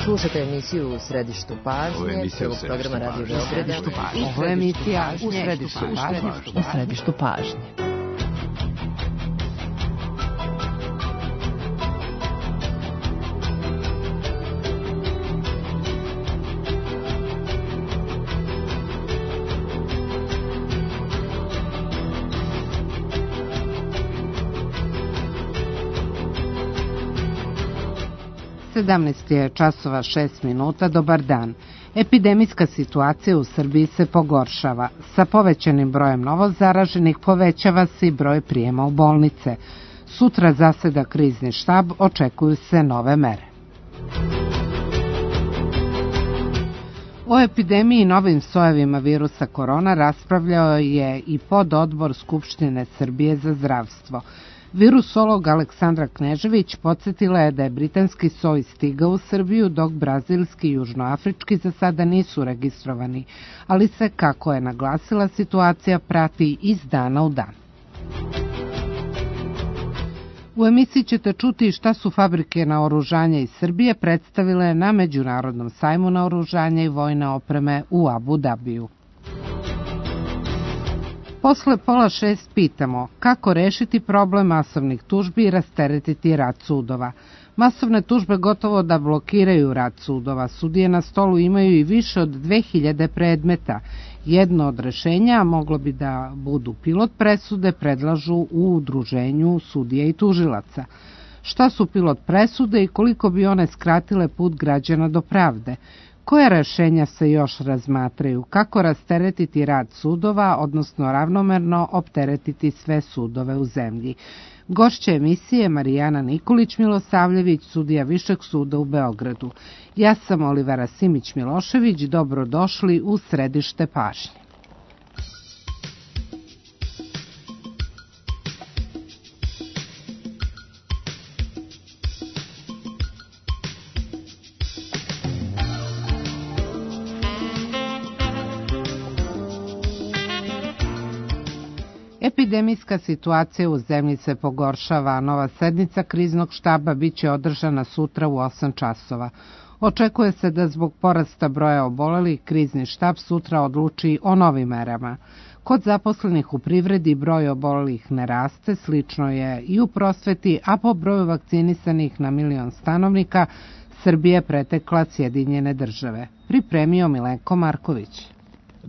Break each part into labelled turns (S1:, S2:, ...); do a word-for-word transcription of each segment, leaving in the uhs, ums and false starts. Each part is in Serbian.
S1: Slušate emisiju U središtu pažnje, prvog programa Radio Beograda.
S2: Ovo je emisija U središtu pažnje. U središtu pažnje. sedamnaest je časova šest minuta, dobar dan. Epidemijska situacija u Srbiji se pogoršava. Sa povećanim brojem novozaraženih povećava se i broj prijema u bolnice. Sutra zaseda krizni štab, očekuju se nove mere. O epidemiji i novim sojevima virusa korona raspravljao je i pododbor Skupštine Srbije za zdravstvo. Virusolog Aleksandra Knežević podsjetila je da je britanski soj stigao u Srbiju, dok brazilski i južnoafrički za sada nisu registrovani, ali se, kako je naglasila, situacija prati iz dana u dan. U emisiji ćete čuti šta su fabrike naoružanja iz Srbije predstavile na Međunarodnom sajmu naoružanja i vojne opreme u Abu Dabiju. Posle pola šest pitamo kako rešiti problem masovnih tužbi i rasteretiti rad sudova. Masovne tužbe gotovo da blokiraju rad sudova. Sudije na stolu imaju i više od dve hiljade predmeta. Jedno od rešenja moglo bi da budu pilot presude, predlažu u udruženju sudija i tužilaca. Šta su pilot presude i koliko bi one skratile put građana do pravde? Koje rešenja se još razmatraju? Kako rasteretiti rad sudova, odnosno ravnomerno opteretiti sve sudove u zemlji? Gošća emisije Marijana Nikolić-Milosavljević, sudija Višeg suda u Beogradu. Ja sam Olivera Simić-Milošević, dobrodošli u središte pažnje. Epidemijska situacija u zemlji se pogoršava, a nova sednica kriznog štaba biće održana sutra u osam časova. Očekuje se da zbog porasta broja obolelih krizni štab sutra odluči o novim merama. Kod zaposlenih u privredi broj obolelih ne raste, slično je i u prosveti, a po broju vakcinisanih na milion stanovnika Srbija pretekla Sjedinjene države. Pripremio Milenko Marković.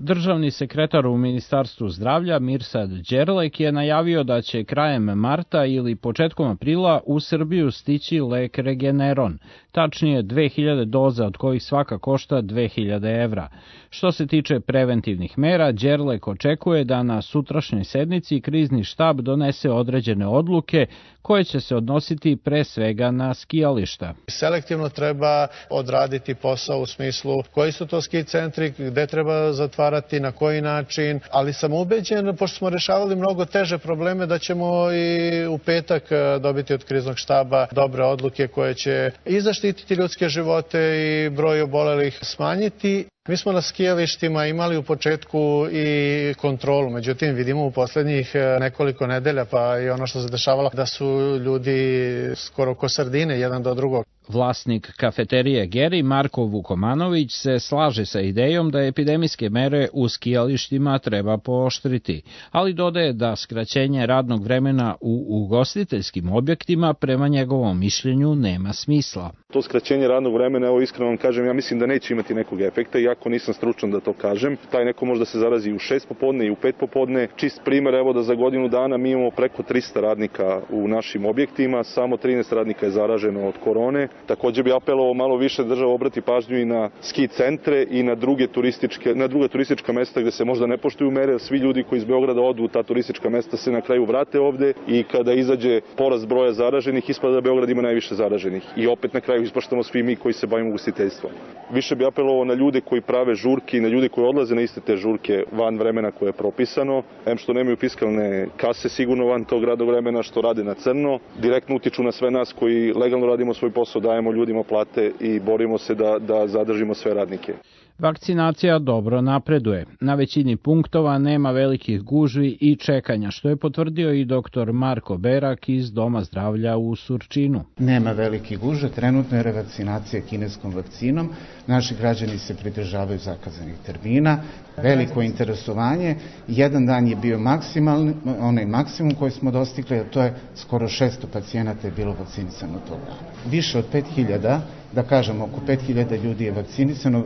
S3: Državni sekretar u Ministarstvu zdravlja Mirsad Đerlek je najavio da će krajem marta ili početkom aprila u Srbiju stići lek Regeneron, tačnije dve hiljade doza od kojih svaka košta dve hiljade evra. Što se tiče preventivnih mera, Đerlek očekuje da na sutrašnjoj sednici krizni štab donese određene odluke koje će se odnositi pre svega na skijališta.
S4: Selektivno treba odraditi posao u smislu koji su to ski centri, gde treba zatvarati, na koji način, ali sam ubeđen, pošto smo rešavali mnogo teže probleme, da ćemo i u petak dobiti od kriznog štaba dobre odluke koje će i zaštititi ljudske živote i broj obolelih smanjiti. Mi smo na skijalištima imali u početku i kontrolu, međutim vidimo u poslednjih nekoliko nedelja, pa i ono što se dešavalo, da su ljudi skoro ko sardine jedan do drugog.
S3: Vlasnik kafeterije Geri, Marko Vukomanović, se slaže sa idejom da epidemijske mere u skijalištima treba pooštriti, ali dodaje da skraćenje radnog vremena u ugostiteljskim objektima prema njegovom mišljenju nema smisla.
S5: To skraćenje radnog vremena, evo iskreno vam kažem, ja mislim da neće imati nekog efekta, iako nisam stručan da to kažem. Taj neko može da se zarazi u šest popodne i u pet popodne. Čist primer, evo da za godinu dana mi imamo preko trista radnika u našim objektima, samo trinaest radnika je zaraženo od korone. Takođe bi apelovao malo više država obrati pažnju i na ski centre i na druge turističke, na druga turistička mesta gde se možda ne poštuju mere. Svi ljudi koji iz Beograda odu u ta turistička mesta se na kraju vrate ovde i kada izađe porast broja zaraženih, ispada da Beograd ima najviše zaraženih. I opet na kraju ispaštamo svi mi koji se bavimo ugostiteljstvom. Više bi apelovao na ljude koji prave žurke i na ljude koji odlaze na iste te žurke van vremena koje je propisano. Em što nemaju fiskalne kase sigurno van tog radnog vremena, što rade na crno. Direktno utiču na sve nas koji legalno radimo svoj posao, dajemo ljudima plate i borimo se da, da zadržimo sve radnike.
S3: Vakcinacija dobro napreduje. Na većini punktova nema velikih gužvi i čekanja, što je potvrdio i doktor Marko Berak iz Doma zdravlja u Surčinu.
S6: Nema velikih gužve, trenutno je revakcinacija kineskom vakcinom. Naši građani se pridržavaju zakazanih termina, veliko interesovanje. Jedan dan je bio maksimalni, onaj maksimum koji smo dostigli, a to je skoro šesto pacijenata je bilo vakcinisano tog dana. Više od pet hiljada, da kažem oko pet hiljada ljudi je vakcinisano,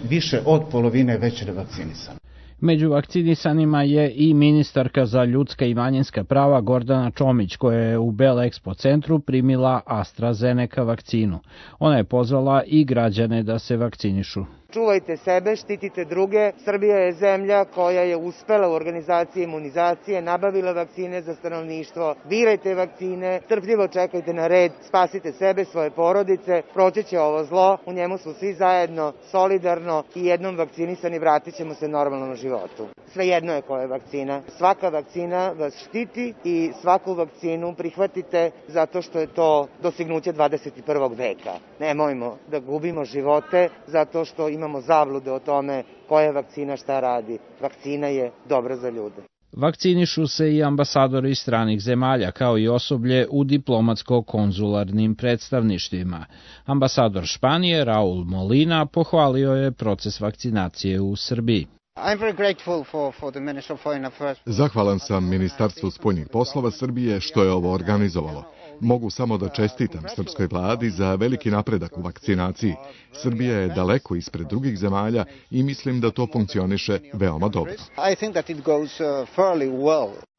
S6: više od polovine je već revakcinisano.
S3: Među vakcinisanima je i ministarka za ljudska i manjinska prava Gordana Čomić, koja je u Belexpo centru primila AstraZeneca vakcinu. Ona je pozvala i građane da se vakcinišu.
S7: Čuvajte sebe, štitite druge. Srbija je zemlja koja je uspela u organizaciji imunizacije, nabavila vakcine za stanovništvo. Birajte vakcine, strpljivo čekajte na red, spasite sebe, svoje porodice, proći će ovo zlo, u njemu smo svi zajedno, solidarno i jednom vakcinisani vratit ćemo se normalnom životu. Svejedno je koja je vakcina. Svaka vakcina vas štiti i svaku vakcinu prihvatite zato što je to dostignuće dvadeset prvog veka. Nemojmo da gubimo živote zato što imamo imamo zablude o tome koja vakcina šta radi. Vakcina je dobra za ljude.
S3: Vakcinišu se i ambasadori stranih zemalja, kao i osoblje u diplomatsko-konzularnim predstavništvima. Ambasador Španije, Raul Molina, pohvalio je proces vakcinacije u Srbiji.
S8: Zahvalan sam Ministarstvu spoljnih poslova Srbije što je ovo organizovalo. Mogu samo da čestitam srpskoj vladi za veliki napredak u vakcinaciji. Srbija je daleko ispred drugih zemalja i mislim da to funkcioniše veoma dobro.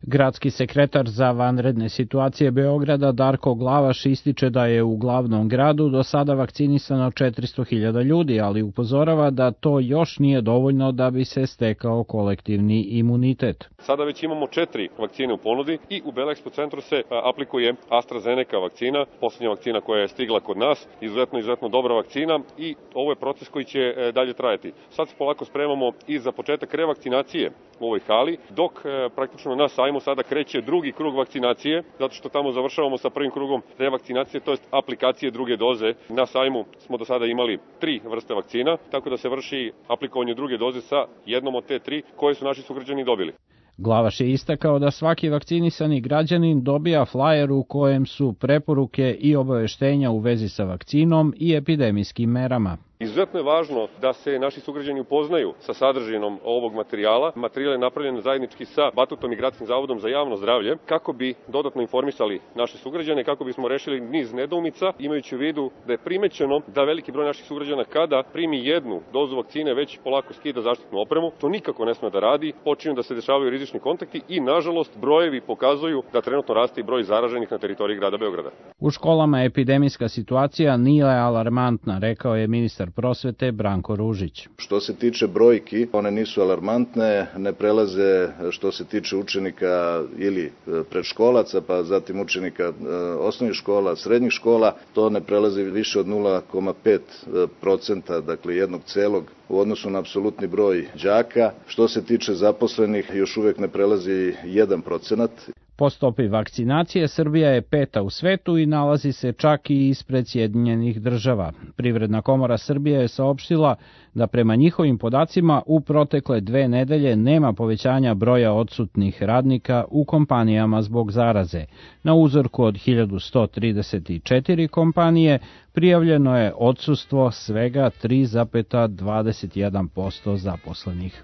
S3: Gradski sekretar za vanredne situacije Beograda Darko Glavaš ističe da je u glavnom gradu do sada vakcinisano četiristo hiljada ljudi, ali upozorava da to još nije dovoljno da bi se stekao kolektivni imunitet.
S9: Sada već imamo četiri vakcine u ponudi i u Belexpo centru se aplikuje AstraZeneca vakcina, poslednja vakcina koja je stigla kod nas, izuzetno, izuzetno dobra vakcina i ovo je proces koji će dalje trajati. Sad se polako spremamo i za početak revakcinacije u ovoj hali, dok praktično na sajmu sada kreće drugi krug vakcinacije, zato što tamo završavamo sa prvim krugom revakcinacije, to jest aplikacije druge doze. Na sajmu smo do sada imali tri vrste vakcina, tako da se vrši aplikovanje druge doze sa jednom od te tri koje su naši sugrađani dobili.
S3: Glavaš je istakao da svaki vakcinisani građanin dobija flajer u kojem su preporuke i obaveštenja u vezi sa vakcinom i epidemijskim merama.
S9: Izuzetno je važno da se naši sugrađani upoznaju sa sadržinom ovog materijala. Materijal je napravljen zajednički sa Batutom i Gradskim zavodom za javno zdravlje, kako bi dodatno informisali naše sugrađane, kako bismo rešili niz nedoumica, imajući u vidu da je primećeno da veliki broj naših sugrađana kada primi jednu dozu vakcine već polako skida zaštitnu opremu. To nikako ne sme da radi, počinju da se dešavaju rizični kontakti i nažalost brojevi pokazuju da trenutno raste i broj zaraženih na teritoriji grada Beograda.
S3: U školama epidemijska situacija nije alarmantna, rekao je ministar prosvete Branko Ružić.
S10: Što se tiče brojki, one nisu alarmantne, ne prelaze što se tiče učenika ili predškolaca, pa zatim učenika osnovnih škola, srednjih škola, to ne prelazi više od nula zarez pet procenta, dakle jednog celog u odnosu na apsolutni broj đaka. Što se tiče zaposlenih, još uvek ne prelazi jedan procenat.
S3: Po stopi vakcinacije Srbija je peta u svetu i nalazi se čak i ispred Sjedinjenih država. Privredna komora Srbije je saopštila da prema njihovim podacima u protekle dve nedelje nema povećanja broja odsutnih radnika u kompanijama zbog zaraze. Na uzorku od hiljadu sto trideset četiri kompanije prijavljeno je odsustvo svega tri zarez dvadeset jedan posto zaposlenih.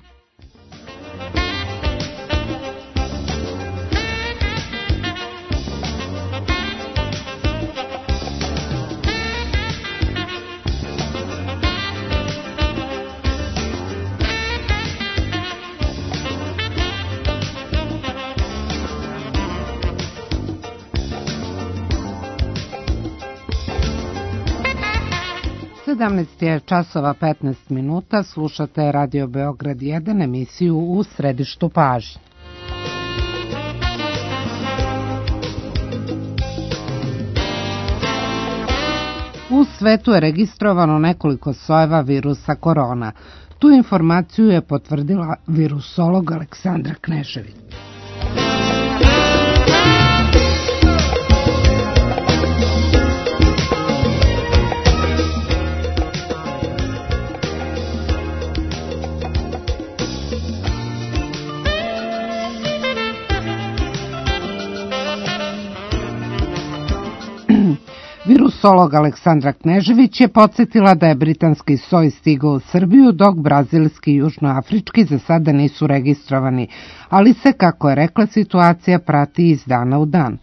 S2: sedamnaest je časova petnaest minuta, slušate Radio Beograd jedan, emisiju U središtu pažnje. U svetu je registrovano nekoliko sojeva virusa korona. Tu informaciju je potvrdila virusolog Aleksandra Knežević. Virusolog Aleksandra Knežević je podsjetila da je britanski soj stigao u Srbiju, dok brazilski i južnoafrički za sada nisu registrovani, ali se, kako je rekla, situacija prati iz dana u dan.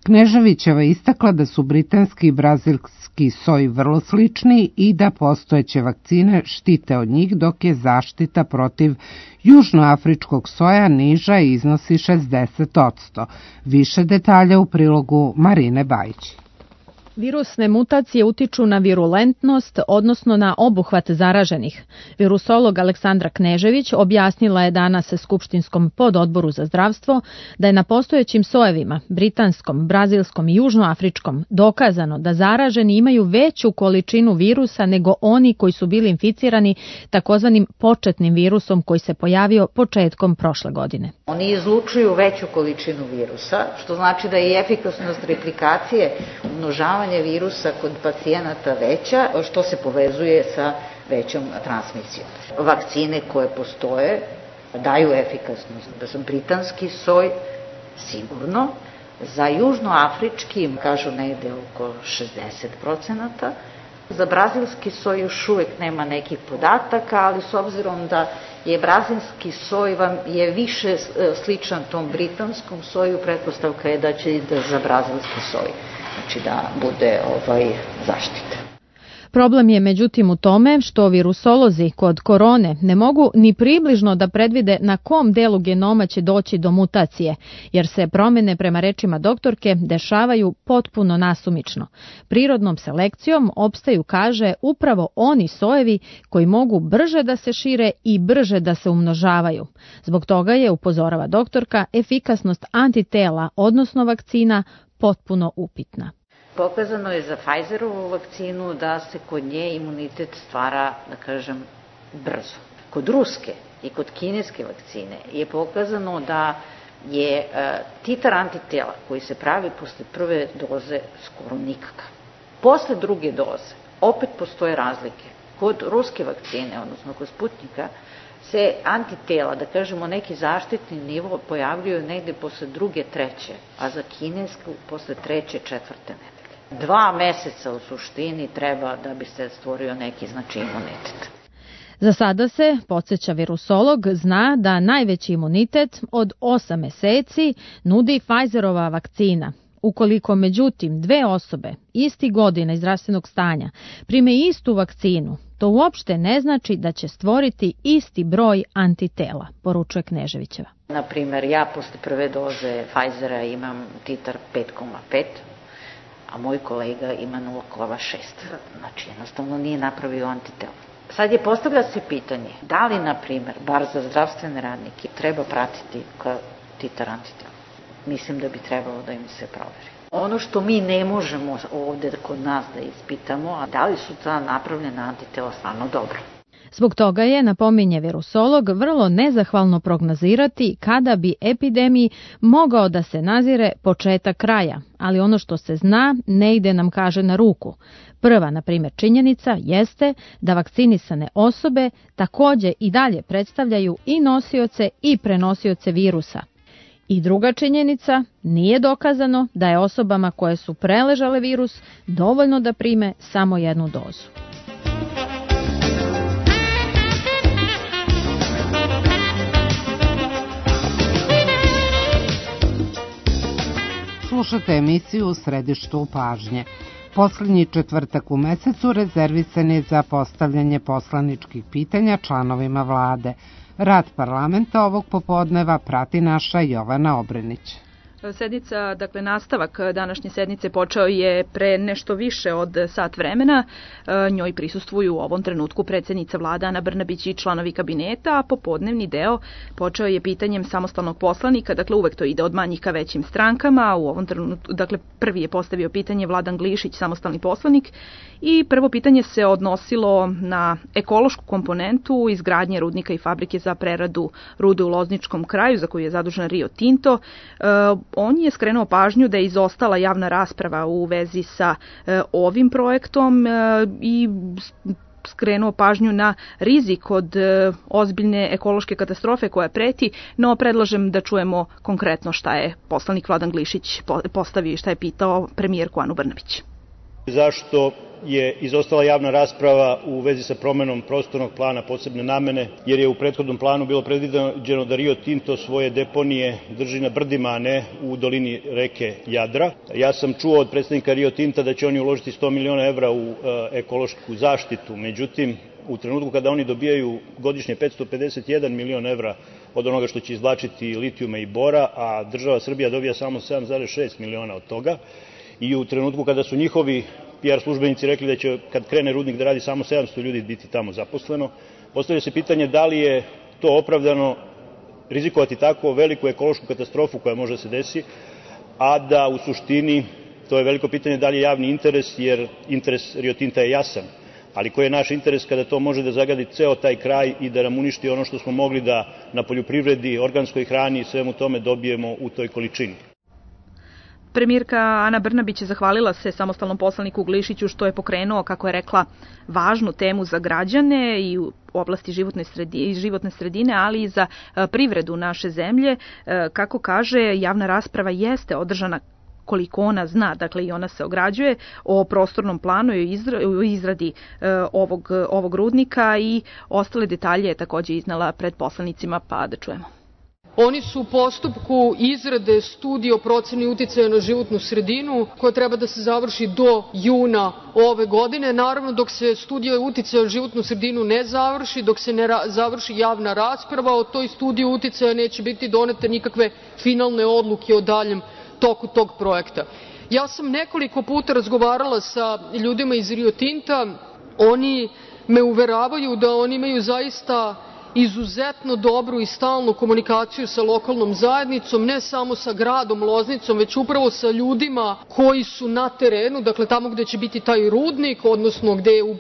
S2: Kneževićeva istakla da su britanski i brazilski soj vrlo slični i da postojeće vakcine štite od njih, dok je zaštita protiv južnoafričkog soja niža i iznosi šezdeset posto. Više detalja u prilogu Marine Bajić.
S11: Virusne mutacije utiču na virulentnost, odnosno na obuhvat zaraženih. Virusolog Aleksandra Knežević objasnila je danas Skupštinskom pododboru za zdravstvo da je na postojećim sojevima, britanskom, brazilskom i južnoafričkom, dokazano da zaraženi imaju veću količinu virusa nego oni koji su bili inficirani takozvanim početnim virusom koji se pojavio početkom prošle godine.
S12: Oni izlučuju veću količinu virusa, što znači da je i efikasnost replikacije, umnožavanja virusa kod pacijenata veća, što se povezuje sa većom transmisijom. Vakcine koje postoje daju efikasnost. Da sam britanski soj sigurno, za južnoafrički kažu negde oko šezdeset procenata, za brazilski soj još uvek nema nekih podataka, ali s obzirom da je brazilski soj vam je više sličan tom britanskom soju, pretpostavka je da će i da za brazilski soj, znači da bude ovaj zaštita.
S11: Problem je međutim u tome što virusolozi kod korone ne mogu ni približno da predvide na kom delu genoma će doći do mutacije, jer se promjene prema rečima doktorke dešavaju potpuno nasumično. Prirodnom selekcijom opstaju, kaže, upravo oni sojevi koji mogu brže da se šire i brže da se umnožavaju. Zbog toga je, upozorava doktorka, efikasnost antitela, odnosno vakcina, potpuno upitna.
S12: Pokazano je za Pfizerovu vakcinu da se kod nje imunitet stvara, da kažem, brzo. Kod ruske i kod kineske vakcine je pokazano da je e, titar antitela koji se pravi posle prve doze skoro nikakav. Posle druge doze opet postoje razlike. Kod ruske vakcine, odnosno kod Sputnika, se antitela, da kažemo neki zaštitni nivo, pojavljuju negde posle druge, treće, a za kinesku posle treće, četvrte nedelje. Dva meseca u suštini treba da bi se stvorio neki znači imunitet.
S11: Za sada se, podsjeća virusolog, zna da najveći imunitet od osam meseci nudi Pfizerova vakcina. Ukoliko međutim dve osobe isti godina iz zdravstvenog stanja prime istu vakcinu, to uopšte ne znači da će stvoriti isti broj antitela, poručuje Kneževićeva.
S12: Na primer, ja posle prve doze Pfizera imam titar pet zarez pet, a moj kolega ima nula zarez šest. Znači, jednostavno nije napravio antitela. Sad je postavlja se pitanje, da li, na primer, bar za zdravstvene radnike, treba pratiti titar antitela? Mislim da bi trebalo da im se proveri. Ono što mi ne možemo ovde kod nas da ispitamo, a da li su ta napravljena antitela stvarno dobro.
S11: Zbog toga je, napominje virusolog, vrlo nezahvalno prognozirati kada bi epidemiji mogao da se nazire početak kraja, ali ono što se zna ne ide nam, kaže, na ruku. Prva, na primjer, činjenica jeste da vakcinisane osobe takođe i dalje predstavljaju i nosioce i prenosioce virusa. I druga činjenica, nije dokazano da je osobama koje su preležale virus dovoljno da prime samo jednu dozu.
S2: Slušate emisiju U središtu pažnje. Poslednji četvrtak u mesecu rezervisan je za postavljanje poslaničkih pitanja članovima vlade. Rad parlamenta ovog popodneva prati naša Jovana Obrenić.
S13: Sednica, dakle nastavak današnje sednice počeo je pre nešto više od sat vremena. Njoj prisustvuju u ovom trenutku predsjednica vlade Ana Brnabić i članovi kabineta, a popodnevni deo počeo je pitanjem samostalnog poslanika, dakle uvek to ide od manjih ka većim strankama. U ovom trenutku, dakle prvi je postavio pitanje Vladan Glišić, samostalni poslanik, i prvo pitanje se odnosilo na ekološku komponentu izgradnje rudnika i fabrike za preradu rude u Lozničkom kraju, za koju je zadužen Rio Tinto. On je skrenuo pažnju da je izostala javna rasprava u vezi sa e, ovim projektom e, i skrenuo pažnju na rizik od e, ozbiljne ekološke katastrofe koja preti, no predlažem da čujemo konkretno šta je poslanik Vladan Glišić postavio i šta je pitao premijerku Anu Brnabić.
S14: Zašto je izostala javna rasprava u vezi sa promenom prostornog plana posebne namene, jer je u prethodnom planu bilo predviđeno da Rio Tinto svoje deponije drži na brdima, a ne u dolini reke Jadra. Ja sam čuo od predstavnika Rio Tinta da će oni uložiti sto miliona evra u ekološku zaštitu, međutim, u trenutku kada oni dobijaju godišnje petsto pedeset jedan milion evra od onoga što će izvlačiti litijuma i bora, a država Srbija dobija samo sedam zarez šest miliona od toga, i u trenutku kada su njihovi P R službenici rekli da će, kad krene rudnik da radi, samo sedamsto ljudi biti tamo zaposleno, postavlja se pitanje da li je to opravdano rizikovati tako veliku ekološku katastrofu koja može da se desi, a da u suštini, to je veliko pitanje da li je javni interes, jer interes Rio Tinta je jasan, ali koji je naš interes kada to može da zagadi ceo taj kraj i da nam uništi ono što smo mogli da na poljoprivredi, organskoj hrani i svemu tome dobijemo u toj količini.
S13: Premijerka Ana Brnabić zahvalila se samostalnom poslaniku Glišiću što je pokrenuo, kako je rekla, važnu temu za građane i u oblasti životne sredine, životne sredine, ali i za privredu naše zemlje. Kako kaže, javna rasprava jeste održana koliko ona zna, dakle i ona se ograđuje o prostornom planu i o izradi ovog, ovog rudnika, i ostale detalje je takođe iznala pred poslanicima, pa da čujemo.
S15: Oni su u postupku izrade studije o proceni uticaja na životnu sredinu koja treba da se završi do juna ove godine. Naravno, dok se studija uticaja na životnu sredinu ne završi, dok se ne završi javna rasprava o toj studiji uticaja, neće biti donete nikakve finalne odluke o daljem toku tog projekta. Ja sam nekoliko puta razgovarala sa ljudima iz Rio Tinta. Oni me uveravaju da oni imaju zaista izuzetno dobru i stalnu komunikaciju sa lokalnom zajednicom, ne samo sa gradom Loznicom, već upravo sa ljudima koji su na terenu, dakle tamo gde će biti taj rudnik, odnosno gde je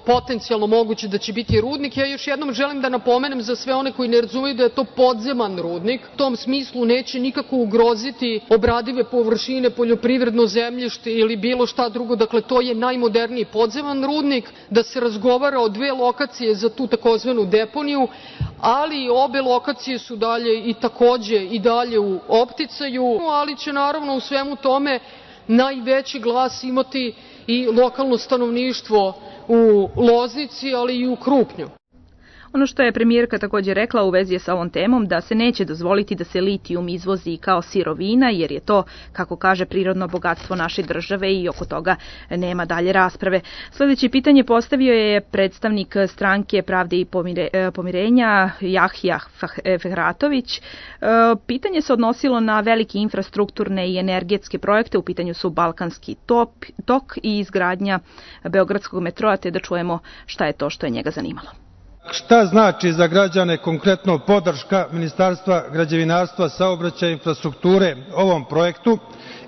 S15: potencijalno moguće da će biti rudnik. Ja još jednom želim da napomenem za sve one koji ne razumeju da je to podzeman rudnik. U tom smislu neće nikako ugroziti obradive površine, poljoprivredno zemljište ili bilo šta drugo. Dakle, to je najmoderniji podzeman rudnik. Da se razgovara o dve lokacije za tu takozvanu deponiju, ali obe lokacije su dalje i takođe i dalje u opticaju, ali će naravno u svemu tome najveći glas imati i lokalno stanovništvo u Loznici, ali i u Krupnju.
S13: Ono što je premijerka takođe rekla u vezi sa ovom temom, da se neće dozvoliti da se litijum izvozi kao sirovina, jer je to, kako kaže, prirodno bogatstvo naše države i oko toga nema dalje rasprave. Sljedeće pitanje postavio je predstavnik stranke Pravde i pomirenja Jahja Fehratović. Pitanje se odnosilo na velike infrastrukturne i energetske projekte. U pitanju su Balkanski tok i izgradnja Beogradskog metroa, te da čujemo šta je to što je njega zanimalo.
S16: Šta znači za građane konkretno podrška Ministarstva građevinarstva, saobraćaja i infrastrukture ovom projektu?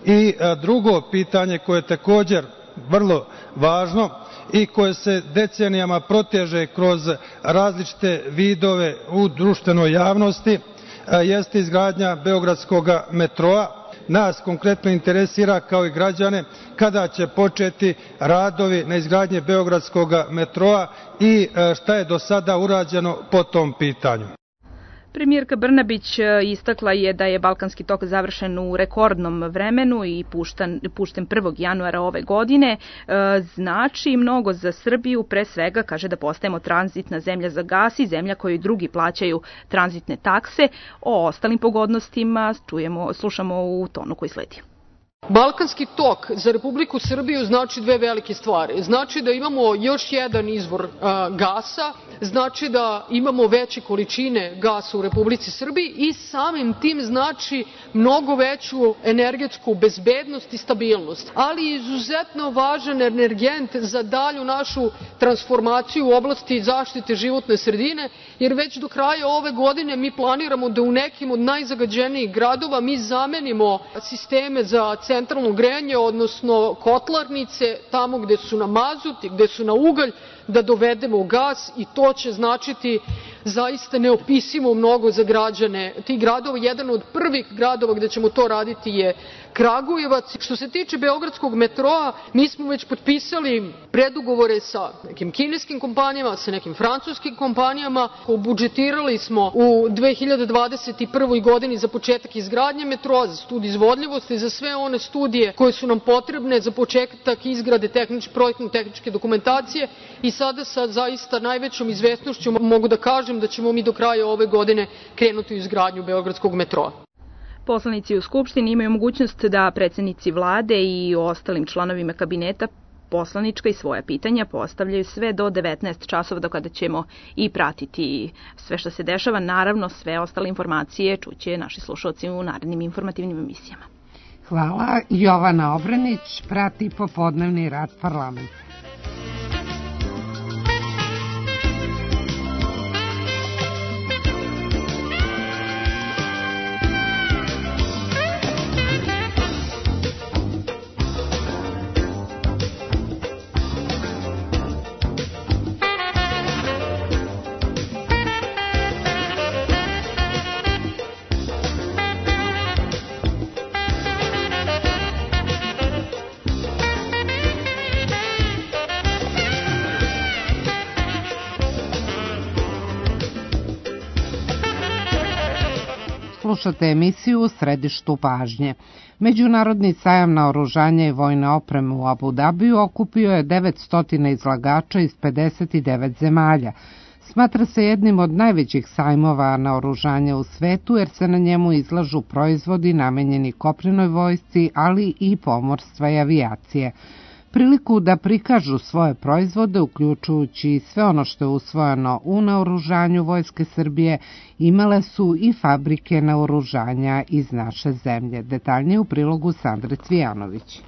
S16: I drugo pitanje koje je također vrlo važno i koje se decenijama proteže kroz različite vidove u društvenoj javnosti jeste izgradnja Beogradskog metroa. Nas konkretno interesira, kao i građane, kada će početi radovi na izgradnji Beogradskog metroa i šta je do sada urađeno po tom pitanju.
S13: Premijerka Brnabić istakla je da je Balkanski tok završen u rekordnom vremenu i pušten, pušten prvog januara ove godine. Znači mnogo za Srbiju, pre svega kaže da postajemo tranzitna zemlja za gas i zemlja koju drugi plaćaju tranzitne takse. O ostalim pogodnostima čujemo, slušamo u tonu koji sledi.
S15: Balkanski tok za Republiku Srbiju znači dve velike stvari. Znači da imamo još jedan izvor a, gasa, znači da imamo veće količine gasa u Republici Srbiji i samim tim znači mnogo veću energetsku bezbednost i stabilnost. Ali izuzetno važan energent za dalju našu transformaciju u oblasti zaštite životne sredine, jer već do kraja ove godine mi planiramo da u nekim od najzagađenijih gradova mi zamenimo sisteme za centralno grejanje, odnosno kotlarnice, tamo gde su na mazut i gde su na ugalj, da dovedemo gas i to će značiti zaista neopisivo mnogo za građane tih gradova. Jedan od prvih gradova gde ćemo to raditi je Kragujevac. Što se tiče beogradskog metroa, mi smo već potpisali predugovore sa nekim kineskim kompanijama, sa nekim francuskim kompanijama. Budžetirali smo u dve hiljade dvadeset prvoj godini za početak izgradnje metroa, za studiju izvodljivosti, za sve one studije koje su nam potrebne za početak izgrade tehničke, projektno-tehničke dokumentacije i sada sa zaista najvećom izvesnošću mogu da kažem da ćemo mi do kraja ove godine krenuti u izgradnju beogradskog metroa.
S13: Poslanici u Skupštini imaju mogućnost da predsednici vlade i ostalim članovima kabineta poslanička i svoja pitanja postavljaju sve do devetnaest časova, do kada ćemo i pratiti sve što se dešava. Naravno, sve ostale informacije čuće naši slušalci u narednim informativnim emisijama.
S2: Hvala. Jovana Obranić prati popodnevni rad parlamenta. Slušate emisiju U središtu pažnje. Međunarodni sajam naoružanja i vojne opreme u Abu Dabiju okupio je devetsto izlagača iz pedeset devet zemalja. Smatra se jednim od najvećih sajmova naoružanja u svetu jer se na njemu izlažu proizvodi namenjeni kopnenoj vojsci, ali i pomorstva i avijacije. Priliku da prikažu svoje proizvode, uključujući sve ono što je usvojeno u naoružanju Vojske Srbije, imale su i fabrike naoružanja iz naše zemlje. Detaljnije u prilogu Sandre Cvijanović.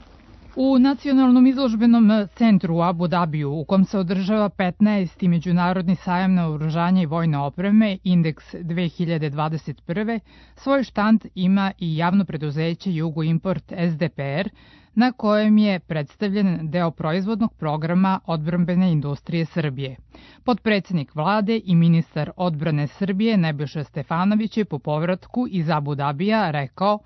S17: U Nacionalnom izložbenom centru u Abu Dabiju, u kom se održava petnaesti Međunarodni sajam naoružanja i vojne opreme, Indeks dve hiljade dvadeset prve, svoj štand ima i javno preduzeće Jugoimport S D P R, na kojem je predstavljen deo proizvodnog programa odbrambene industrije Srbije. Potpredsednik vlade i ministar odbrane Srbije Nebojša Stefanović je po povratku iz Abu Dabija rekao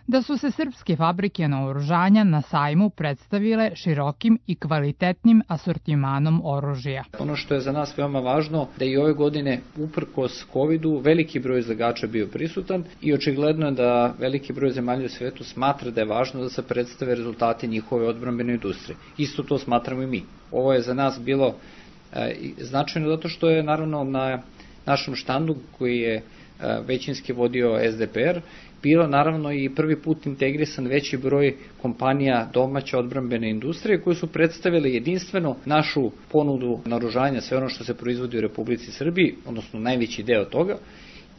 S17: da su se srpske fabrike naoružanja na sajmu predstavile širokim i kvalitetnim asortimanom oružja.
S18: Ono što je za nas veoma važno da i ove godine, uprkos kovidu, veliki broj izlagača bio prisutan i očigledno je da veliki broj zemalja u svetu smatra da je važno da se predstave rezultati njihove odbrambene industrije. Isto to smatramo i mi. Ovo je za nas bilo e, značajno zato što je naravno na našem štandu koji je e, većinski vodio S D P R, bilo naravno i prvi put integrisan veći broj kompanija domaće odbrambene industrije koje su predstavile jedinstveno našu ponudu naoružanja, sve ono što se proizvodi u Republici Srbiji, odnosno najveći deo toga,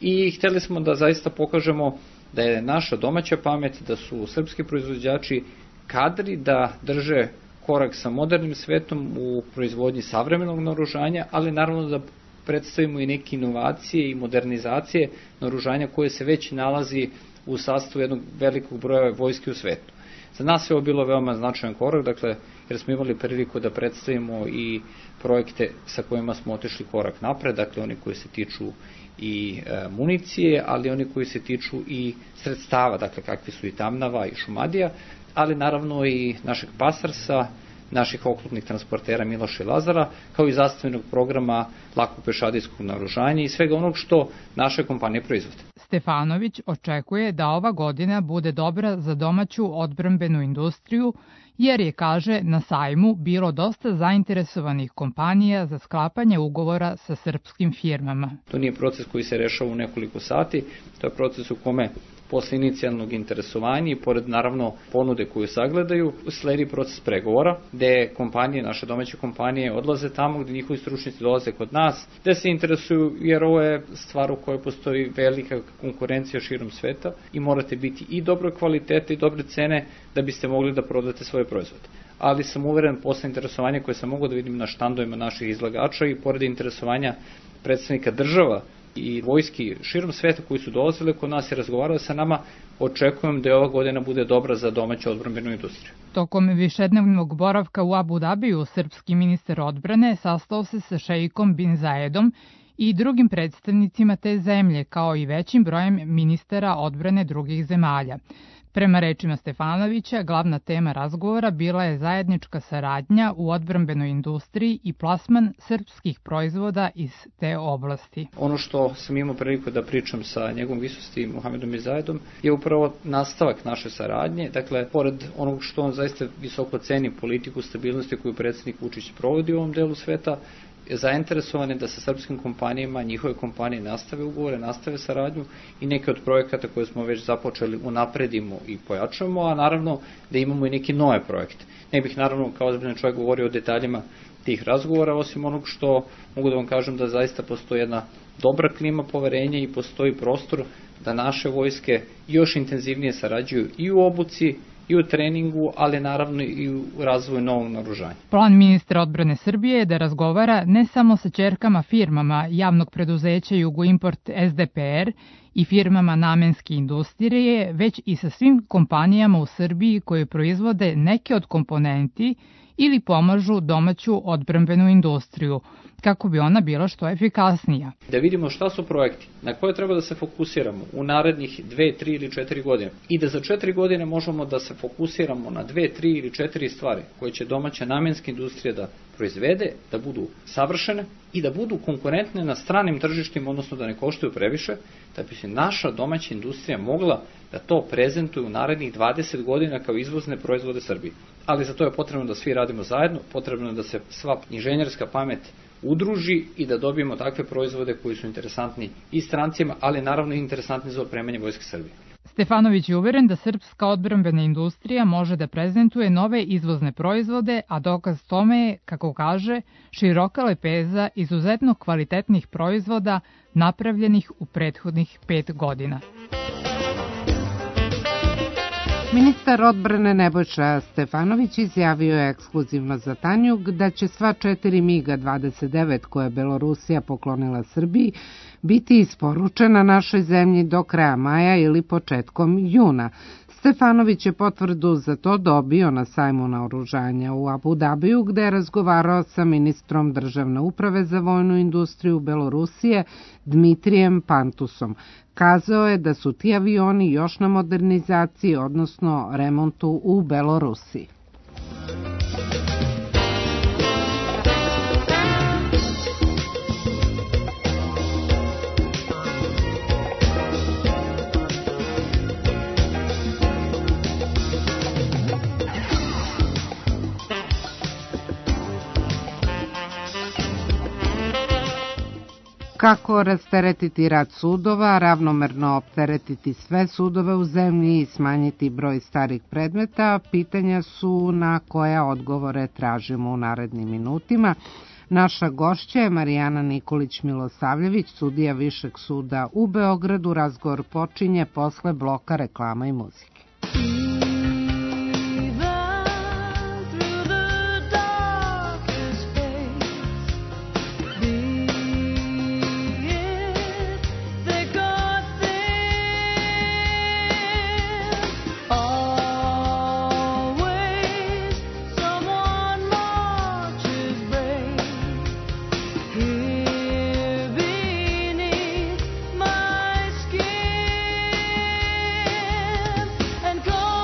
S18: i hteli smo da zaista pokažemo da je naša domaća pamet, da su srpski proizvođači kadri da drže korak sa modernim svetom u proizvodnji savremenog naoružanja, ali naravno da predstavimo i neke inovacije i modernizacije naoružanja koje se već nalazi u sastavu jednog velikog broja vojske u svetu. Za nas je ovo bilo veoma značajan korak, dakle, jer smo imali priliku da predstavimo i projekte sa kojima smo otišli korak napred, dakle, oni koji se tiču i e, municije, ali oni koji se tiču i sredstava, dakle, kakvi su i Tamnava i Šumadija, ali naravno i našeg Pasarsa, naših oklopnih transportera Miloša i Lazara, kao i zastavljenog programa lakog pešadijskog naoružanja i svega onog što naše kompanije proizvode.
S17: Stefanović očekuje da ova godina bude dobra za domaću odbrambenu industriju, jer je, kaže, na sajmu bilo dosta zainteresovanih kompanija za sklapanje ugovora sa srpskim firmama.
S18: To nije proces koji se rešava u nekoliko sati, to je proces u kome posle inicijalnog interesovanja i pored naravno ponude koju sagledaju, sledi proces pregovora, gde kompanije, naše domaće kompanije odlaze tamo gde njihovi stručnjaci dolaze kod nas, gde se interesuju, jer ovo je stvar u kojoj postoji velika konkurencija širom sveta i morate biti i dobre kvalitete i dobre cene da biste mogli da prodate svoje proizvode. Ali sam uveren posle interesovanja koje sam mogao da vidim na štandovima naših izlagača i pored interesovanja predstavnika država i vojski širom sveta koji su dolazili kod nas i razgovarali sa nama, očekujem da je ova godina bude dobra za domaću odbrambenu industriju.
S17: Tokom višednevnog boravka u Abu Dabiju, srpski ministar odbrane sastao se sa šeikom Bin Zayedom i drugim predstavnicima te zemlje, kao i većim brojem ministara odbrane drugih zemalja. Prema rečima Stefanovića, glavna tema razgovora bila je zajednička saradnja u odbrambenoj industriji i plasman srpskih proizvoda iz te oblasti.
S18: Ono što sam imao priliku da pričam sa njegovom visosti Muhamedom Bin Zayedom je upravo nastavak naše saradnje. Dakle, pored onog što on zaista visoko ceni politiku stabilnosti koju predsjednik Vučić provodi u ovom delu sveta, zainteresovan je da sa srpskim kompanijama, njihove kompanije nastave ugovore, nastave saradnju i neke od projekata koje smo već započeli unapredimo i pojačamo, a naravno da imamo i neke nove projekte. Ne bih naravno kao ozbiljan čovjek govorio o detaljima tih razgovora, osim onog što mogu da vam kažem da zaista postoji jedna dobra klima poverenja i postoji prostor da naše vojske još intenzivnije sarađuju i u obuci, i u treningu, ali naravno i u razvoju novog naoružanja.
S17: Plan ministra odbrane Srbije je da razgovara ne samo sa ćerkama firmama javnog preduzeća Jugoimport S D P R i firmama namenske industrije, već i sa svim kompanijama u Srbiji koje proizvode neke od komponenti ili pomažu domaću odbrambenu industriju, kako bi ona bila što efikasnija.
S18: Da vidimo šta su projekti na koje treba da se fokusiramo u narednih dve, tri ili četiri godine i da za četiri godine možemo da se fokusiramo na dve, tri ili četiri stvari koje će domaća namenska industrija da proizvede, da budu savršene i da budu konkurentne na stranim tržištima, odnosno da ne koštaju previše, da bi se naša domaća industrija mogla da to prezentuje u narednih dvadeset godina kao izvozne proizvode Srbije. Ali za to je potrebno da svi radimo zajedno, potrebno je da se sva inženjerska pamet udruži i da dobijemo takve proizvode koji su interesantni i strancima, ali naravno i interesantni za opremanje Vojske Srbije.
S17: Stefanović je uveren da srpska odbrambena industrija može da prezentuje nove izvozne proizvode, a dokaz tome je, kako kaže, široka lepeza izuzetno kvalitetnih proizvoda napravljenih u prethodnih pet godina.
S2: Ministar odbrane Nebojša Stefanović izjavio je ekskluzivno za Tanjug da će sva četiri MiG dvadeset devet koje je Belorusija poklonila Srbiji biti isporučena našoj zemlji do kraja maja ili početkom juna. Stefanović je potvrdu za to dobio na sajmu naoružanja u Abu Dabiju, gde je razgovarao sa ministrom državne uprave za vojnu industriju Belorusije Dmitrijem Pantusom. Kazao je da su ti avioni još na modernizaciji, odnosno remontu u Belorusiji. Kako rasteretiti rad sudova, ravnomerno opteretiti sve sudove u zemlji i smanjiti broj starih predmeta, pitanja su na koja odgovore tražimo u narednim minutima. Naša gošća je Marijana Nikolić-Milosavljević, sudija Višeg suda u Beogradu. Razgovor počinje posle bloka reklama i muzike.
S19: And go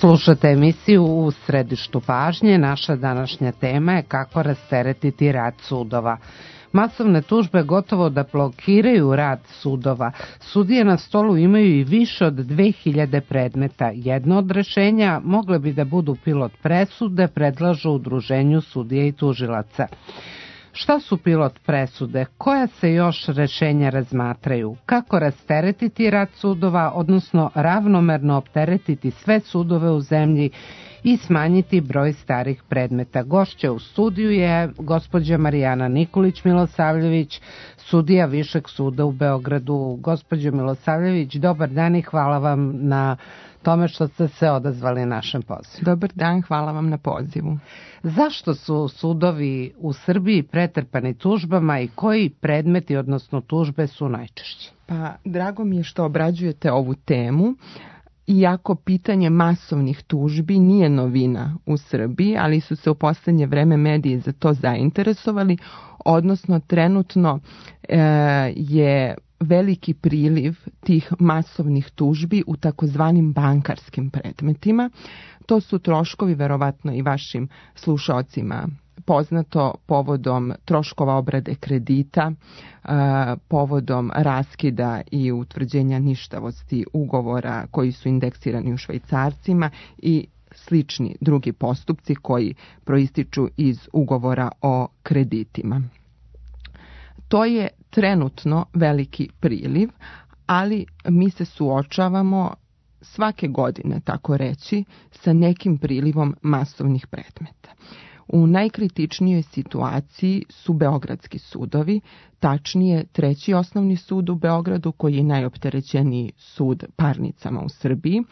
S2: Slušate emisiju U središtu pažnje. Naša današnja tema je kako rasteretiti rad sudova. Masovne tužbe gotovo da blokiraju rad sudova. Sudije na stolu imaju i više od dve hiljade predmeta. Jedno od rešenja mogle bi da budu pilot presude, predlažu Udruženju sudija i tužilaca. Šta su pilot presude? Koja se još rešenja razmatraju? Kako rasteretiti rad sudova, odnosno ravnomerno opteretiti sve sudove u zemlji i smanjiti broj starih predmeta? Gošća u studiju je gospođa Marijana Nikolić-Milosavljević, sudija Višeg suda u Beogradu. Gospođo Milosavljević, dobar dan i hvala vam na tome što ste se odazvali našem pozivu.
S19: Dobar dan, hvala vam na pozivu.
S2: Zašto su sudovi u Srbiji pretrpani tužbama i koji predmeti, odnosno tužbe, su najčešći?
S19: Pa, drago mi je što obrađujete ovu temu. Iako pitanje masovnih tužbi nije novina u Srbiji, ali su se u poslednje vreme mediji za to zainteresovali, odnosno trenutno e, je veliki priliv tih masovnih tužbi u takozvanim bankarskim predmetima. To su troškovi, verovatno i vašim slušaocima poznato, povodom troškova obrade kredita, povodom raskida i utvrđenja ništavosti ugovora koji su indeksirani u švajcarcima i slični drugi postupci koji proističu iz ugovora o kreditima. To je trenutno veliki priliv, ali mi se suočavamo svake godine, tako reći, sa nekim prilivom masovnih predmeta. U najkritičnijoj situaciji su beogradski sudovi, tačnije treći osnovni sud u Beogradu koji je najopterećeniji sud parnicama u Srbiji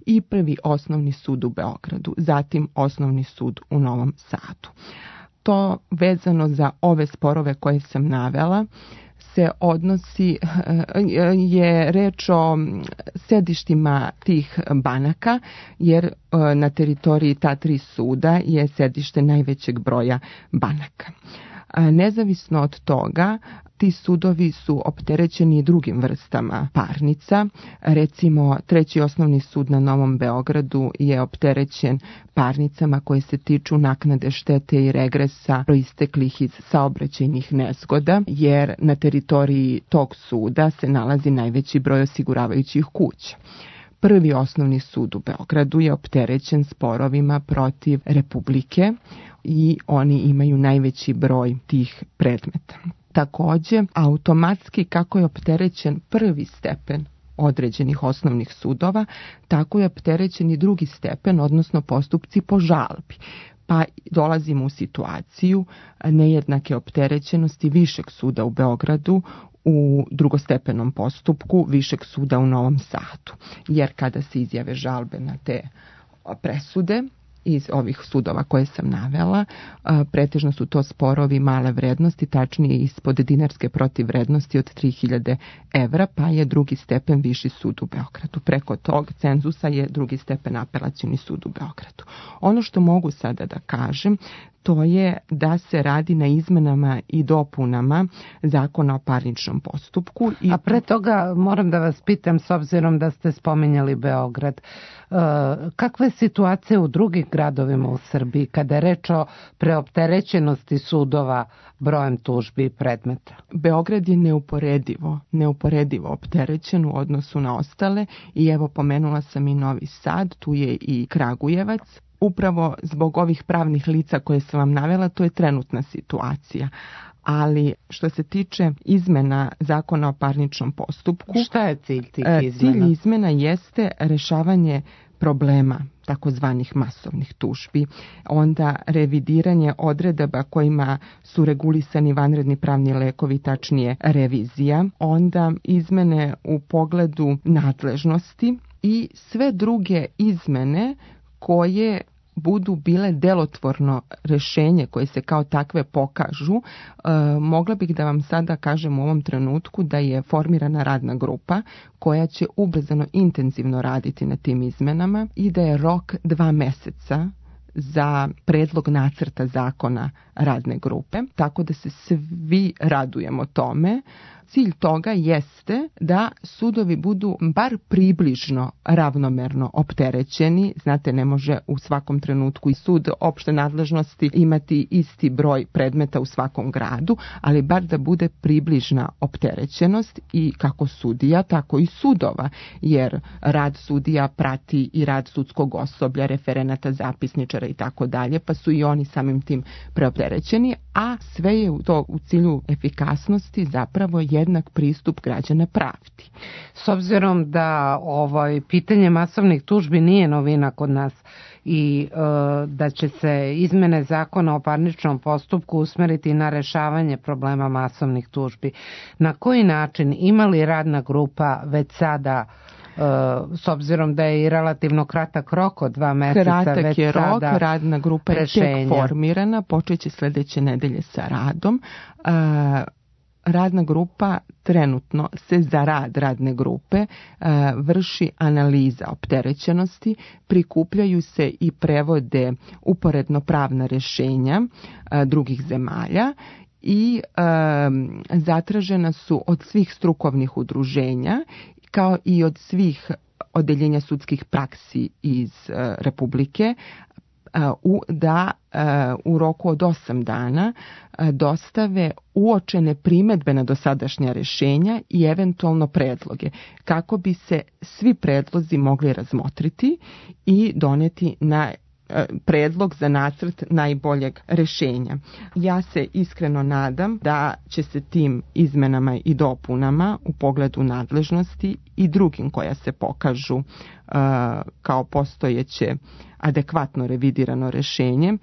S19: i prvi osnovni sud u Beogradu, zatim osnovni sud u Novom Sadu. To vezano za ove sporove koje sam navela se odnosi, je reč o sedištima tih banaka, jer na teritoriji ta tri suda je sedište najvećeg broja banaka. Nezavisno od toga, ti sudovi su opterećeni drugim vrstama parnica. Recimo, treći osnovni sud na Novom Beogradu je opterećen parnicama koje se tiču naknade štete i regresa proisteklih iz saobraćajnih nezgoda, jer na teritoriji tog suda se nalazi najveći broj osiguravajućih kuća. Prvi osnovni sud u Beogradu je opterećen sporovima protiv Republike i oni imaju najveći broj tih predmeta. Takođe, automatski kako je opterećen prvi stepen određenih osnovnih sudova, tako je opterećen i drugi stepen, odnosno postupci po žalbi. Pa dolazimo u situaciju nejednake opterećenosti Višeg suda u Beogradu u drugostepenom postupku Višeg suda u Novom Sadu. Jer kada se izjave žalbe na te presude iz ovih sudova koje sam navela, pretežno su to sporovi male vrednosti, tačnije ispod dinarske protivvrednosti od tri hiljade evra, pa je drugi stepen Viši sud u Beogradu. Preko tog cenzusa je drugi stepen Apelacioni sud u Beogradu. Ono što mogu sada da kažem, to je da se radi na izmenama i dopunama Zakona o parničnom postupku.
S2: I... A pre toga moram da vas pitam, s obzirom da ste spominjali Beograd, kakva je situacija u drugim gradovima u Srbiji kada je reč o preopterećenosti sudova brojem tužbi i predmeta?
S19: Beograd je neuporedivo, neuporedivo opterećen u odnosu na ostale i evo pomenula sam i Novi Sad, tu je i Kragujevac. Upravo zbog ovih pravnih lica koje sam vam navela, to je trenutna situacija. Ali što se tiče izmena Zakona o parničnom postupku,
S2: šta je cilj tih izmena?
S19: Cilj izmena jeste rešavanje problema takozvanih masovnih tužbi, onda revidiranje odredaba kojima su regulisani vanredni pravni lekovi, tačnije revizija, onda izmene u pogledu nadležnosti i sve druge izmene koje budu bile delotvorno rešenje koje se kao takve pokažu. E, mogla bih da vam sada kažem u ovom trenutku da je formirana radna grupa koja će ubrzano intenzivno raditi na tim izmenama i da je rok dva meseca za predlog nacrta zakona radne grupe, tako da se svi radujemo tome. cilj toga jeste da sudovi budu bar približno ravnomerno opterećeni. Znate, ne može u svakom trenutku i sud opšte nadležnosti imati isti broj predmeta u svakom gradu, ali bar da bude približna opterećenost i kako sudija, tako i sudova, jer rad sudija prati i rad sudskog osoblja, referenata, zapisničara i tako dalje, pa su i oni samim tim preopterećeni, a sve je to u cilju efikasnosti zapravo jednak pristup građana pravdi.
S2: S obzirom da ovaj pitanje masovnih tužbi nije novina kod nas i e, da će se izmene zakona o parničnom postupku usmeriti na rešavanje problema masovnih tužbi, na koji način, ima li radna grupa već sada, s obzirom da je i relativno kratak rok od dva meseca,
S19: kratak
S2: već
S19: je
S2: sada
S19: rok, radna grupa
S2: rešenja.
S19: je tek formirana, počeće sljedeće nedelje sa radom. Radna grupa trenutno se za rad radne grupe vrši analiza opterećenosti, prikupljaju se i prevode uporedno pravna rješenja drugih zemalja i zatražena su od svih strukovnih udruženja kao i od svih odeljenja sudskih praksi iz uh, Republike uh, da uh, u roku od osam dana uh, dostave uočene primedbe na dosadašnja rješenja i eventualno predloge, kako bi se svi predlozi mogli razmotriti i doneti na predlog za nacrt najboljeg rješenja. Ja se iskreno nadam da će se tim izmenama i dopunama u pogledu nadležnosti i drugim koja se pokažu uh, kao postojeće adekvatno revidirano rješenje, uh,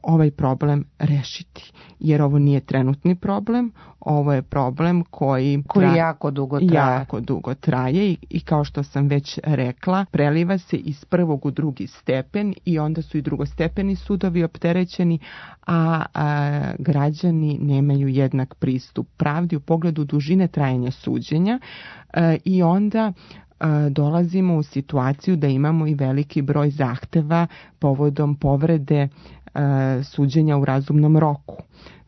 S19: ovaj problem rešiti. Jer ovo nije trenutni problem, ovo je problem koji,
S2: koji tra... jako dugo traje.
S19: Jako dugo traje i, i kao što sam već rekla, preliva se iz prvog u drugi stepen i onda su i drugostepeni sudovi opterećeni, a, a građani nemaju jednak pristup pravdi u pogledu dužine trajanja suđenja a, i onda dolazimo u situaciju da imamo i veliki broj zahteva povodom povrede e, suđenja u razumnom roku,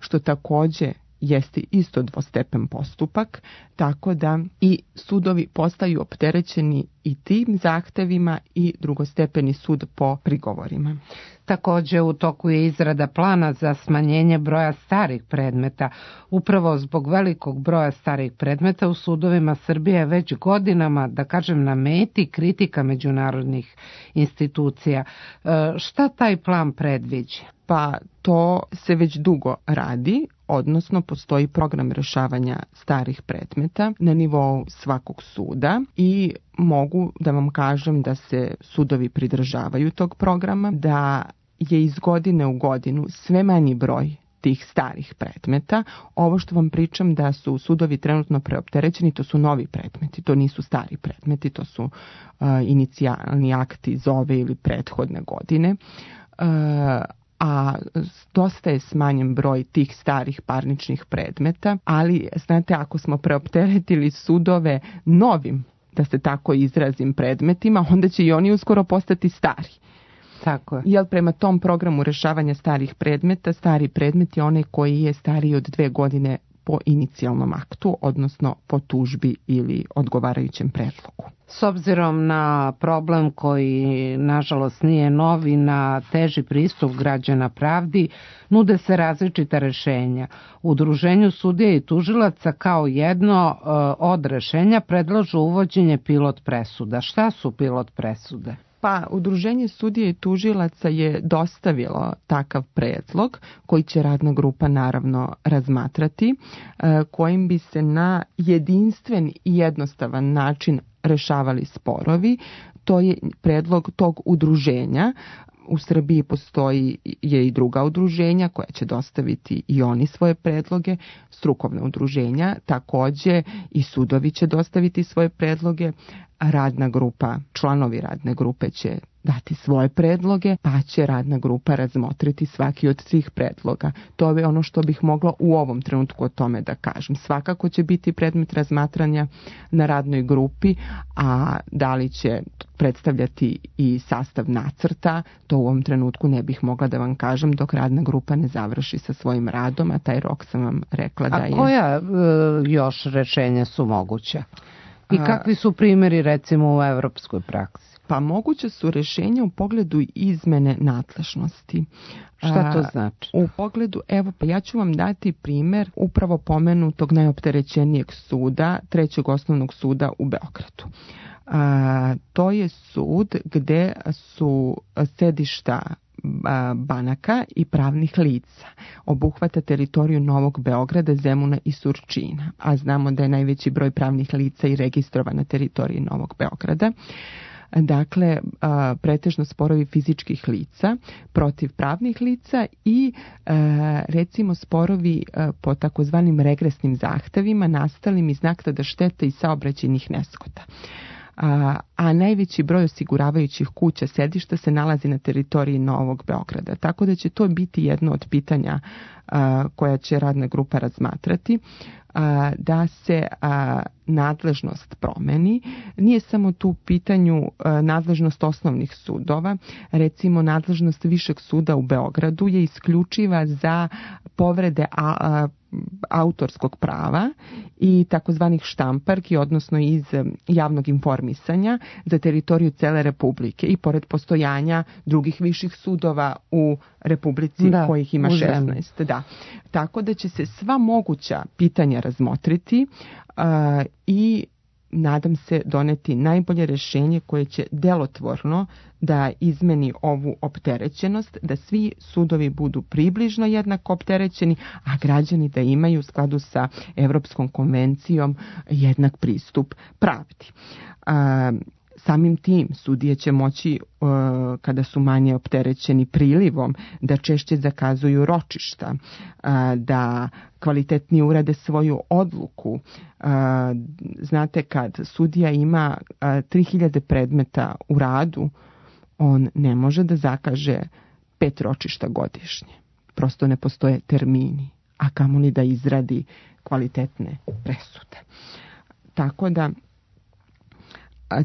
S19: što također jeste isto dvostepen postupak, tako da i sudovi postaju opterećeni i tim zahtevima i drugostepeni sud po prigovorima.
S2: Također u toku je izrada plana za smanjenje broja starih predmeta. Upravo zbog velikog broja starih predmeta u sudovima Srbije je već godinama, da kažem, na meti kritika međunarodnih institucija. E, šta taj plan predviđa?
S19: Pa to se već dugo radi, odnosno postoji program rješavanja starih predmeta na nivou svakog suda i mogu da vam kažem da se sudovi pridržavaju tog programa, da je iz godine u godinu sve manji broj tih starih predmeta. Ovo što vam pričam da su sudovi trenutno preopterećeni, to su novi predmeti, to nisu stari predmeti, to su uh, inicijalni akti iz ove ili prethodne godine. Uh, a dosta je smanjen broj tih starih parničnih predmeta, ali znate, ako smo preopteretili sudove novim, da se tako izrazim, predmetima, onda će i oni uskoro postati stari.
S2: Tako je.
S19: Jer prema tom programu rješavanja starih predmeta, stari predmet je onaj koji je stariji od dve godine po inicijalnom aktu, odnosno po tužbi ili odgovarajućem predlogu.
S2: S obzirom na problem koji nažalost nije novi, na teži pristup građana pravdi, nude se različita rešenja. U Udruženju sudija i tužilaca kao jedno e, od rešenja predlažu uvođenje pilot presuda. Šta su pilot presude?
S19: Pa, Udruženje sudija i tužilaca je dostavilo takav predlog koji će radna grupa naravno razmatrati, kojim bi se na jedinstven i jednostavan način rešavali sporovi. To je predlog tog udruženja. U Srbiji postoji je i druga udruženja koja će dostaviti i oni svoje predloge, strukovne udruženja, također i sudovi će dostaviti svoje predloge, radna grupa, članovi radne grupe će dati svoje predloge, pa će radna grupa razmotriti svaki od tih predloga. To je ono što bih mogla u ovom trenutku o tome da kažem. Svakako će biti predmet razmatranja na radnoj grupi, a da li će predstavljati i sastav nacrta, to u ovom trenutku ne bih mogla da vam kažem dok radna grupa ne završi sa svojim radom, a taj rok sam vam rekla da je...
S2: A koja e, još rešenja su moguća? I kakvi su primjeri recimo u evropskoj praksi?
S19: Pa moguće su rešenja u pogledu izmene nadležnosti.
S2: Šta to znači?
S19: U pogledu, evo pa ja ću vam dati primjer upravo pomenutog najopterećenijeg suda, trećeg osnovnog suda u Beogradu. A, to je sud gde su sedišta banaka i pravnih lica. Obuhvata teritoriju Novog Beograda, Zemuna i Surčina, a znamo da je najveći broj pravnih lica i registrovan na teritoriji Novog Beograda. Dakle, pretežno sporovi fizičkih lica protiv pravnih lica i recimo sporovi po takozvanim regresnim zahtevima nastalim iz naknada štete i saobraćajnih nezgoda. A, a najveći broj osiguravajućih kuća sedišta se nalazi na teritoriji Novog Beograda. Tako da će to biti jedno od pitanja a, koja će radna grupa razmatrati, a, da se a, nadležnost promeni. Nije samo tu u pitanju a, nadležnost osnovnih sudova. Recimo, nadležnost Višeg suda u Beogradu je isključiva za povrede a, a, autorskog prava i takozvanih štamparki, odnosno iz javnog informisanja za teritoriju cele Republike i pored postojanja drugih viših sudova u Republici, da, kojih ima šesnaest. Da. Tako da će se sva moguća pitanja razmotriti uh, i nadam se doneti najbolje rešenje koje će delotvorno da izmeni ovu opterećenost, da svi sudovi budu približno jednako opterećeni, a građani da imaju u skladu sa Evropskom konvencijom jednak pristup pravdi. A, samim tim sudije će moći, uh, kada su manje opterećeni prilivom, da češće zakazuju ročišta, uh, da kvalitetnije urade svoju odluku. Uh, znate, kad sudija ima uh, tri hiljade predmeta u radu, on ne može da zakaže pet ročišta godišnje. Prosto ne postoje termini, a kamoli da izradi kvalitetne presude. Tako da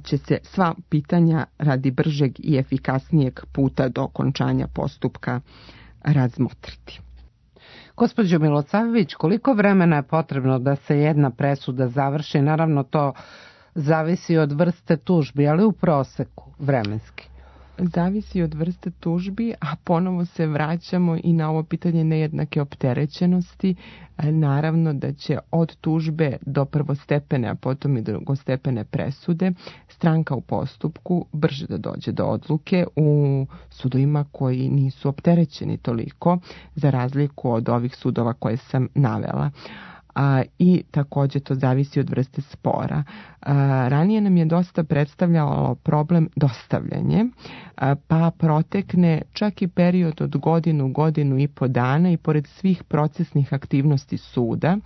S19: će se sva pitanja radi bržeg i efikasnijeg puta do okončanja postupka razmotriti.
S2: Gospođo Milosavljević, koliko vremena je potrebno da se jedna presuda završi? Naravno, to zavisi od vrste tužbi, ali u proseku vremenski.
S19: Zavisi od vrste tužbi, a ponovo se vraćamo i na ovo pitanje nejednake opterećenosti. Naravno da će od tužbe do prvostepene, a potom i drugostepene presude stranka u postupku brže da dođe do odluke u sudovima koji nisu opterećeni toliko, za razliku od ovih sudova koje sam navela. A, i također to zavisi od vrste spora. A, ranije nam je dosta predstavljalo problem dostavljanje, a, pa protekne čak i period od godinu, godinu i po dana i pored svih procesnih aktivnosti suda,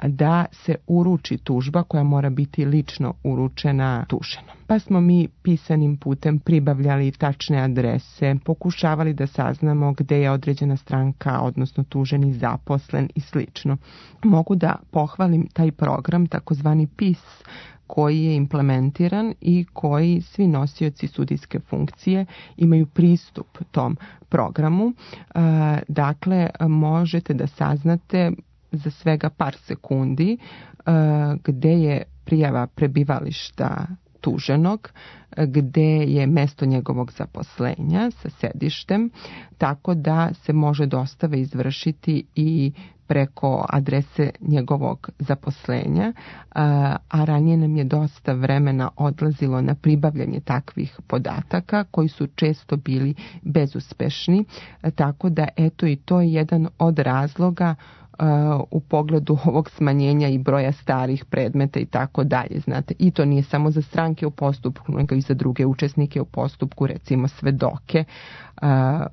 S19: da se uruči tužba koja mora biti lično uručena tuženom. Pa smo mi pisanim putem pribavljali tačne adrese, pokušavali da saznamo gde je određena stranka, odnosno tuženi zaposlen i slično. Mogu da pohvalim taj program, takozvani P I S, koji je implementiran i koji svi nosioci sudijske funkcije imaju pristup tom programu. Dakle, možete da saznate za svega par sekundi gde je prijava prebivališta tuženog, gde je mesto njegovog zaposlenja sa sedištem, tako da se može dostava izvršiti i preko adrese njegovog zaposlenja, a ranije nam je dosta vremena odlazilo na pribavljanje takvih podataka koji su često bili bezuspešni, tako da eto i to je jedan od razloga u pogledu ovog smanjenja i broja starih predmeta i tako dalje, znate, i to nije samo za stranke u postupku, nego i za druge učesnike u postupku, recimo svedoke,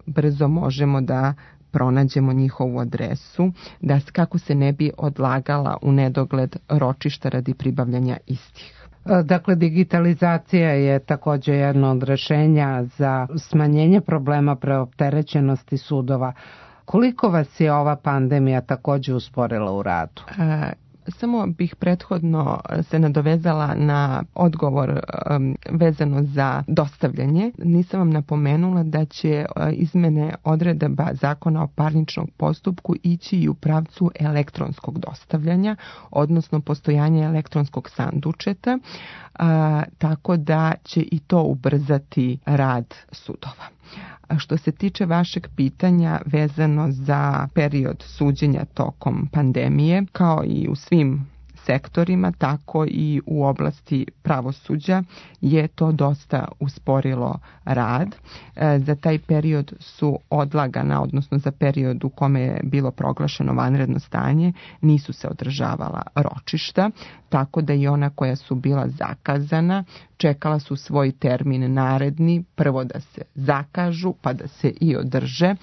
S19: brzo možemo da pronađemo njihovu adresu, da kako se ne bi odlagala u nedogled ročišta radi pribavljanja istih.
S2: Dakle, digitalizacija je također jedno od rešenja za smanjenje problema preopterećenosti sudova. Koliko vas je ova pandemija također usporila u radu?
S19: A... Samo bih prethodno se nadovezala na odgovor um, vezano za dostavljanje. Nisam vam napomenula da će uh, izmene odredaba Zakona o parničnom postupku ići i u pravcu elektronskog dostavljanja, odnosno postojanja elektronskog sandučeta, uh, tako da će i to ubrzati rad sudova. A što se tiče vašeg pitanja vezano za period suđenja tokom pandemije, kao i u svim sektorima, tako i u oblasti pravosuđa je to dosta usporilo rad. E, za taj period su odlagana, odnosno za period u kome je bilo proglašeno vanredno stanje, nisu se održavala ročišta, tako da i ona koja su bila zakazana čekala su svoj termin naredni, prvo da se zakažu pa da se i održe.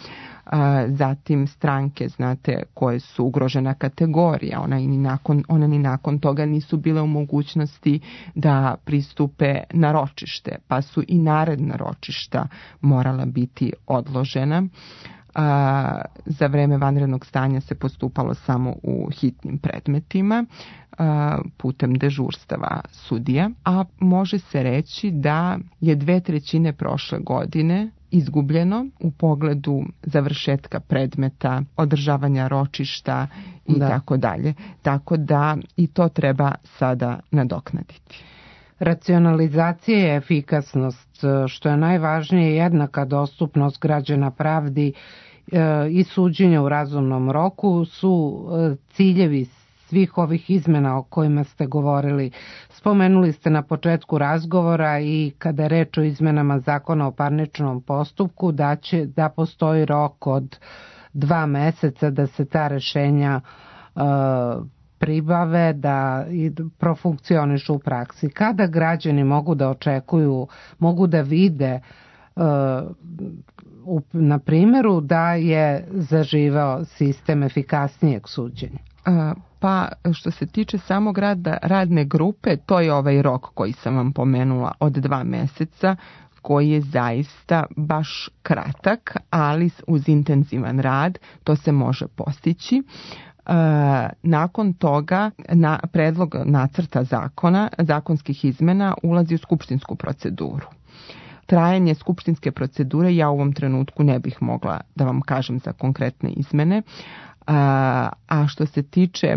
S19: Zatim stranke, znate, koje su ugrožena kategorija, ona, i ni nakon, ona ni nakon toga nisu bile u mogućnosti da pristupe na ročište, pa su i naredna ročišta morala biti odložena. A, za vreme vanrednog stanja se postupalo samo u hitnim predmetima a, putem dežurstava sudija, a može se reći da je dve trećine prošle godine izgubljeno u pogledu završetka predmeta, održavanja ročišta i da. tako dalje. Tako da i to treba sada nadoknaditi.
S2: Racionalizacija i efikasnost, što je najvažnije, jednaka dostupnost građana pravdi i suđenja u razumnom roku su ciljevi svih ovih izmena o kojima ste govorili. Spomenuli ste na početku razgovora i kada je reč o izmenama Zakona o parničnom postupku da će da postoji rok od dva meseca da se ta rešenja uh, pribave, da i profunkcionišu u praksi. Kada građani mogu da očekuju, mogu da vide uh, u, na primjeru da je zaživao sistem efikasnijeg suđenja?
S19: Uh, Pa što se tiče samog rada radne grupe, to je ovaj rok koji sam vam pomenula od dva meseca, koji je zaista baš kratak, ali uz intenzivan rad to se može postići. E, nakon toga na predlog nacrta zakona, zakonskih izmena ulazi u skupštinsku proceduru. Trajanje skupštinske procedure ja u ovom trenutku ne bih mogla da vam kažem za konkretne izmene. A, a što se tiče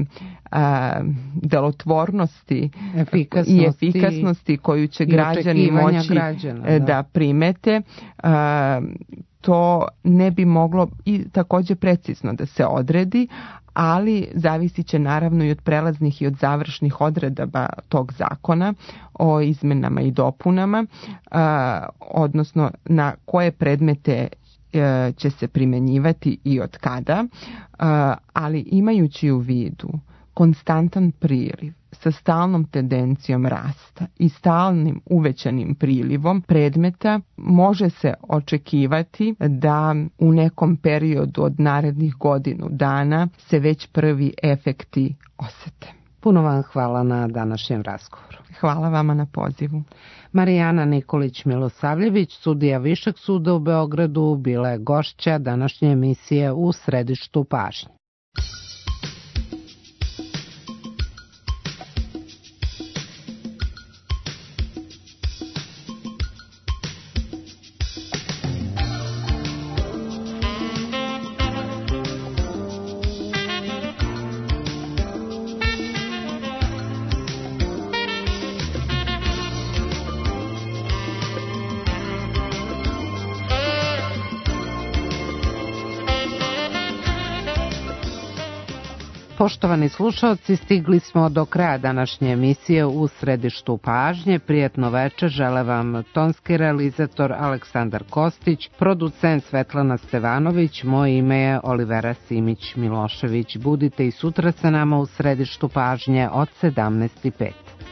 S19: a, delotvornosti
S2: efikasnosti,
S19: i efikasnosti koju će građani moći građana, da. da primete, a, to ne bi moglo i također precizno da se odredi, ali zavisit će naravno i od prelaznih i od završnih odredaba tog zakona o izmenama i dopunama, a, odnosno na koje predmete će se primjenjivati i od kada, ali imajući u vidu konstantan priliv sa stalnom tendencijom rasta i stalnim uvećanim prilivom predmeta, može se očekivati da u nekom periodu od narednih godinu dana se već prvi efekti osete.
S2: Puno vam hvala na današnjem razgovoru.
S19: Hvala vama na pozivu.
S2: Marijana Nikolić-Milosavljević, sudija Višeg suda u Beogradu, bila je gošća današnje emisije U središtu pažnje. Poštovani slušalci, stigli smo do kraja današnje emisije U središtu pažnje. Prijetno večer žele vam tonski realizator Aleksandar Kostić, producent Svetlana Stevanović, moje ime je Olivera Simić-Milošević. Budite i sutra sa nama u središtu pažnje od sedamnaest i pet.